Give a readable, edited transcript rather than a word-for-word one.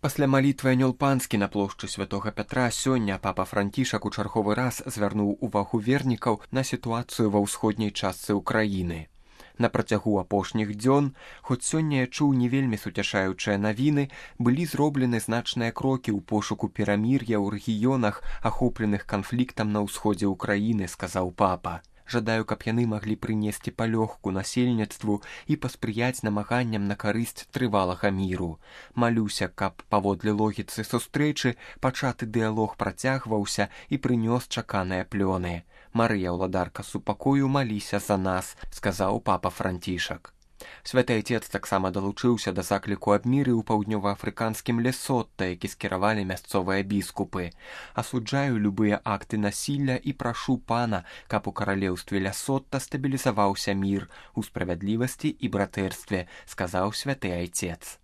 Пасля малітвы анёл панскі на плошчы святога Пятра сёння папа Францішак у чарговы раз звярнуў увагу вернікаў на сітуацыю ва ўсходняй частцы ўкраіны. На працягу апошніх дзён, хоць сёння я чуў не вельмі суцяшаючыя навіны, былі зроблены значныя крокі ў пошуку перамір'я ў рэгіёнах, ахопленых канфліктам на ўсходзе ўкраіны, сказаў папа. Жадаю, каб яны маглі прынесці палёгку насельніцтву і паспрыяць намаганням на карысць трывалага міру. Малюся, каб паводле логіцы сустрэчы пачаты дыялог працягваўся і прынёс чаканыя плёны. Марыя, ўладарка супакою, маліся за нас, сказаў папа Францішак. Святы Айцец таксама далучыўся да закліку аб міры ў паўднёваафрыканскім Лесота, які скіравалі мясцовыя біскупы. Асуджаю любыя акты насілля і прашу пана, каб у каралеўстве Лесота стабілізаваўся мір у справядлівасці і братэрстве, сказаў святы Айцец.